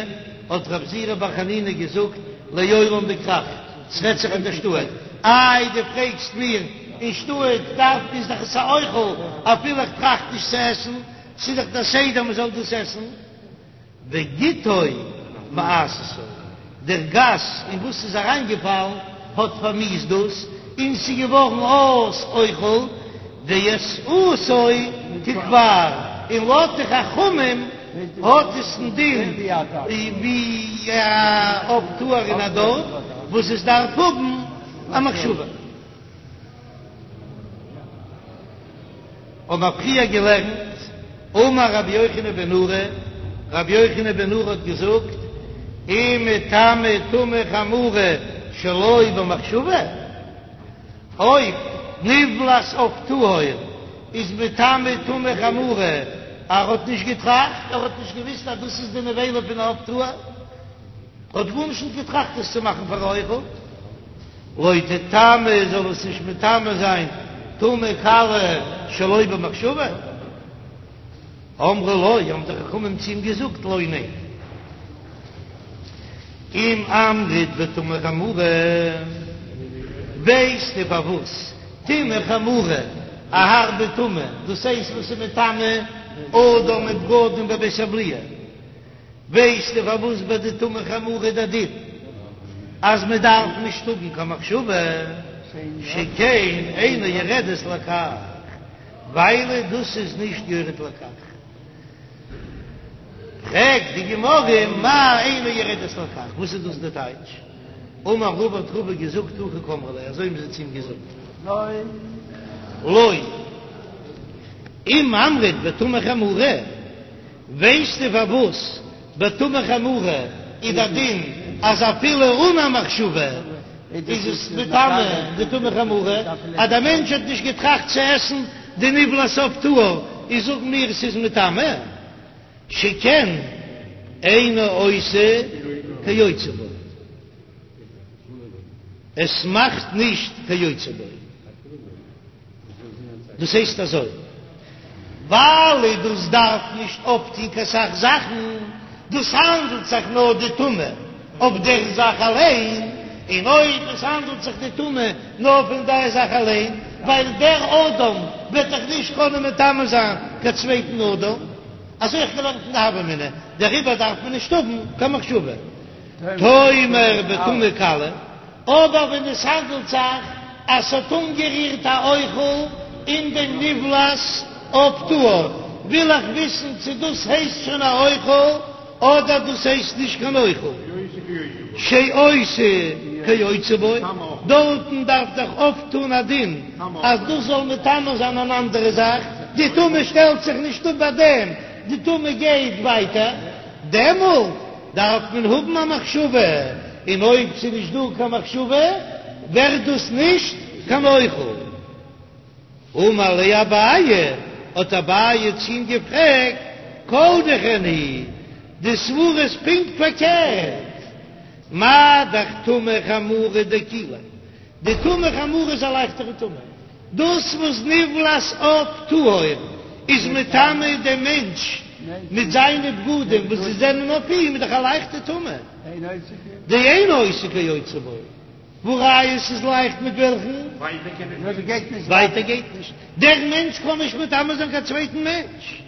האט רב זירא בר חנינא געזאגט, לעולם בכרך, ס'רעדט זיך אין די שטאט, איי דו פרעגסט מיר, אין שטאט דארף איז דאך עס א אוכל, אפילו איך טראכט נישט צו עסן, ס'איז דאך דער סדר מ'זאל דאס עסן. וגיטו מאסתו, דער גאס אין וואס ס'איז אריינגעפאלן האט פארמיאוסט דאס, און ס'איז געווארן אויס אוכל, ועשאתו ככפר, און לויט די חכמים האט עס א דין ווי א עוף טהור אין א דארף וואס עס דארף האבן א מחשבה. האבן מיר פריער געלערנט, אמר רבי יוחנן בן נורי, רבי יוחנן בן נורי האט געזאגט, אם מטמא טומאה חמורה שלא במחשבה, אויב נבלת עוף טהור איז מטמא טומאה חמורה, ער האט נישט געטראכט, ער האט נישט געוויסט אז דאס איז די נבילה פון עוף טהור, האט גארנישט נישט געטראכט עס צו מאכן פאר א אוכל, לא תטמא זאל עס נישט מטמא זיין טומאה קלה שלא במחשבה. אמרו לו, האבן די חכמים צו אים געזאגט, לא ניין. אם אמרת בטומאה חמורה, ווייסטו פארוואס טומאה חמורה, א הארבע טומאה, דאס הייסט וואס איז מטמא אדם מיט בגדים בבית הבליעה, ווייסטו פארוואס ביי די טומאה חמורה איז דער דין אז מען דארף נישט האבן קיין מחשבה, שכן אינה יורדת לכך, ווייל דאס איז נישט יורד לכך. פרעגט די גמרא מאי אינה יורדת לכך, וואס איז דאס די טייטש? אמר רבא האט רבא געזאגט הכי קאמרי ליה, אזוי האבן זיי צו אים געזאגט, לא אם אמרת בטומאה חמורה, ווייסטו פארוואס בטומאה חמורה איז דער דין אז אפילו אן א מחשבה איז עס מטמא די טומאה חמורה, אז דער מענטש האט נישט געטראכט צו עסן די נבלת עוף טהור איז זאגן מיר עס איז מטמא, שכן אינה עושה כיוצא בו, עס מאכט נישט כיוצא בו. דאס הייסט אזוי, ווייל דאס דארף נישט אויפטון קיין סך זאכן, דאס האנדלט זיך נאר די טומאה אויף דער זאך אליין, און אויב עס האנדלט זיך די טומאה נאר פון דער זאך אליין, ווייל דער אדם וועט דאך נישט קענען מטמא זיין קיין צווייטן אדם, אזוי האב איך געלערנט אין די הוה אמינא, דעריבער דארף מען נישט האבן קיין מחשבה. תאמר בטומאה קלה. אבער ווען עס האנדלט זיך אז ס'האט אנגערירט א אוכל אין דעם נבלת עוף טהור, וויל איך וויסן צו דאס הייסט שוין א אוכל אדער דאס הייסט נישט קיין אוכל. שעושה כיוצא בו, דארטן דארף דאך אויפטון א דין אז דאס זאל מטמא זיין אן אנדערע זאך, די טומאה שטעלט זיך נישט אפ ביי דעם, די טומאה גייט ווייטער, דעמאלט דארף מען האבן א מחשבה, און אויב ס'איז נישט דא קיין מחשבה ווערט דאס נישט קיין אוכל. אמר ליה אביי, האט אביי צו אים געפרעגט, כל דכן היא, די סברא איז פונקט פארקערט, מה דאך טומאה חמורה דקילא, די טומאה חמורה איז א לייכטערע טומאה, דאס וואס נבלת עוף טהור איז מטמא דעם מענטש מיט זיינע בגדים וואס זיי זענען אויף אים איז דאך א לייכטע טומאה, דאינה עושה כיוצא בו, והא ראיה ס'איז לייכט מיט וועלכן? ווייטער גייט נישט, דער מענטש קען נישט מטמא זיין קיין צווייטן מענטש.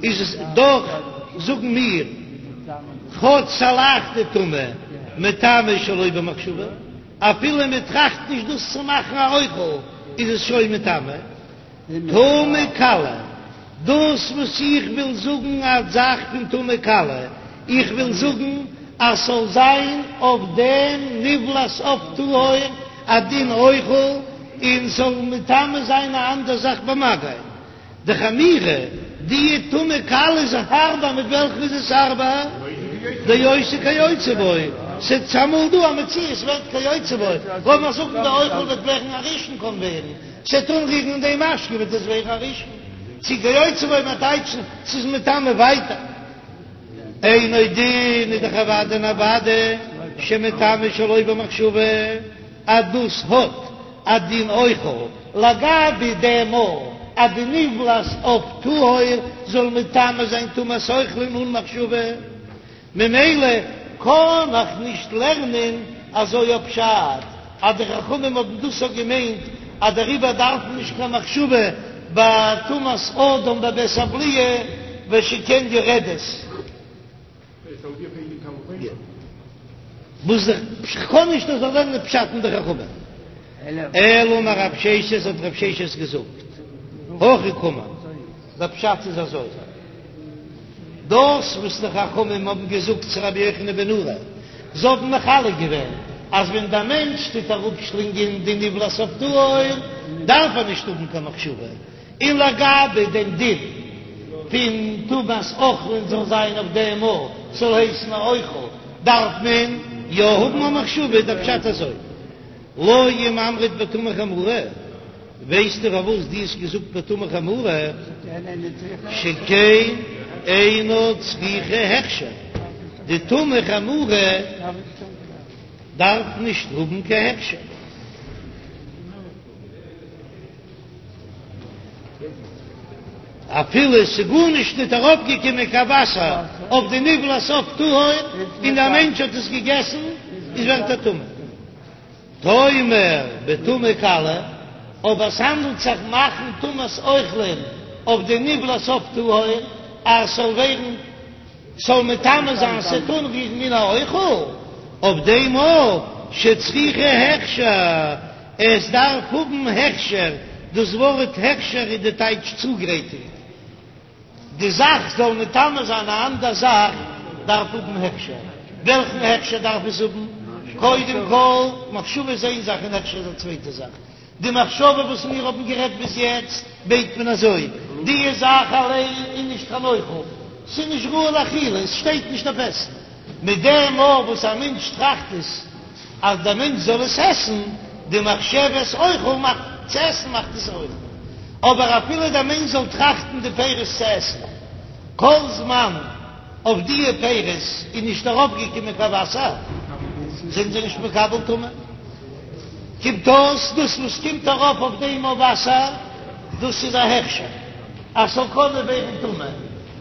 איז עס דאך זאגן מיר כאטש ס'א לייכטע טומאה מטמא שלא במחשבה, אפילו מען טראכט נישט דאס צו מאכן א אוכל איז עס שוין מטמא. טומאה קלה, דאס וואס איך וויל זאגן א זאך פון טומאה קלה, איך וויל זאגן אז ס'זאל זיין אויף דעם נבלת עוף טהור א דין אוכל און ס'זאל מטמא זיין א אנדער זאך במגע. דחמירא, די טומאה קלה איז הארבער, מיט וועלכן איז עס הארבער? דעושה כיוצא בו, ס'איז אמאל דא א מציאות ווערט כיוצא בו, לאמיר זאגן די אוכל וועט ווערן א ראשון קען ווערן, ס'וועט אנרירן אין דעם משקה וועט עס ווערן א ראשון, צו כיוצא בו מיינט טייטשן ס'איז מטמא ווייטער. אינו דין איז דאך אוודאי און אוודאי שמטמא שלא במחשבה אז דאס האט א דין אוכל לגבי דעם אז די נבלת עוף טהור זאל מטמא זיין טומאת אוכלין אן מחשבה, ממילא קען איך נישט לערנען אזוי א פשט אז די חכמים האבן דאס אויך געמיינט אז דעריבער דארף מען נישט קיין מחשבה ביי טומאת אדם בבית הבליעה ושכן יורדת. וואס איך קען נישט אזוי לערנען פשט אין די חכמים. אלא אמר רב ששת האט רב ששת געזאגט, הכי קאמר, דער פשט איז אזוי, דאס וואס די חכמים האבן געזאגט צו רבי יוחנן בן נורי, זיי האבן מחלק געווען אז ווען דער מענטש טוט אראפשלינגען די נבלת עוף טהור דארף ער נישט האבן קיין מחשבה, און לגבי דעם דין פון טומאת אוכלין זאל זיין אויף דעם אז ס'זאל הייסן א אוכל דארף מען יא האבן א מחשבה, איז דער פשט אזוי, לא אם אמרת בטומאה חמורה, ווייסטו פארוואס דו האסט געזאגט בטומאה חמורה, שכן אינה צריכה הכשר, די טומאה חמורה דארף נישט האבן קיין הכשר. אפילו עס איז גארנישט ניט ארויפגעקומען קיין וואסער אויף די נבלת עוף טהור און דער מענטש האט עס געגעסן, איז ווערט ער טמא. תאמר בטומאה קלה, אבער עס האנדלט זיך מאכן טומאת אוכלין אויף די נבלת עוף טהור אז עס זאל ווערן ס'זאל מטמא זיין ס'וועט אנרירן מן האוכל, אויף דעם אויך שצריכה הכשר, עס דארף האבן הכשר, דאס ווארט הכשר איז די טייטש צוגרייטונג, די זאך זאל מטמא זיין א אנדער זאך דארף האבן הכשר, וועלכן הכשר דארף עס האבן? קודם כל מחשבה איז איין זאך און הכשר איז א צווייטע זאך, די מחשבה וואס מיר האבן גערעדט ביז יעצט מיינט מען אזוי, די זאך אליין איז נישט קיין אוכל, ס'איז נישט ראוי לאכילה, עס שטייט נישט אויף עסן, מיט דעם אויך וואס א מענטש טראכט עס אז דער מענטש זאל עס עסן, די מחשבת אוכל מאכט צו עסן מאכט עס אוכל, אבער אפילו דער מענטש זאל טראכטן די פירות צו עסן, כל זמן אויף דיע פירות איז נישט ארויפגעקומען קיין וואסער, זענען זיי נישט מקבל טומאה. קומט אויס דאס וואס קומט ארויף אויף דעם אויף וואסער, דאס איז א הכשר אז ס'זאל קענען ווערן טמא,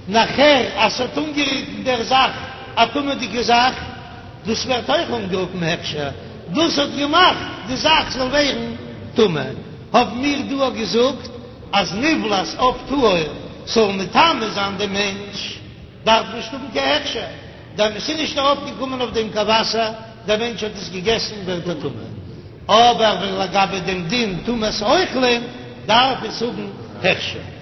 נאכער אז ס'האט אנגערירט אין דער זאך א טמא'דיגע זאך, דאס ווערט אויך אנגערופן הכשר, דאס האט געמאכט די זאך זאל ווערן טמא. האבן מיר דא געזאגט אז נבלת עוף טהור זאל מטמא זיין דעם מענטש, דארף נישט האבן קיין הכשר, דען עס איז נישט ארויפגעקומען אויף דעם קיין וואסער, דער מענטש האט עס געגעסן ווערט ער טמא, אבער ווען לגבי דעם דין טומאת אוכלים דארף עס האבן הכשר.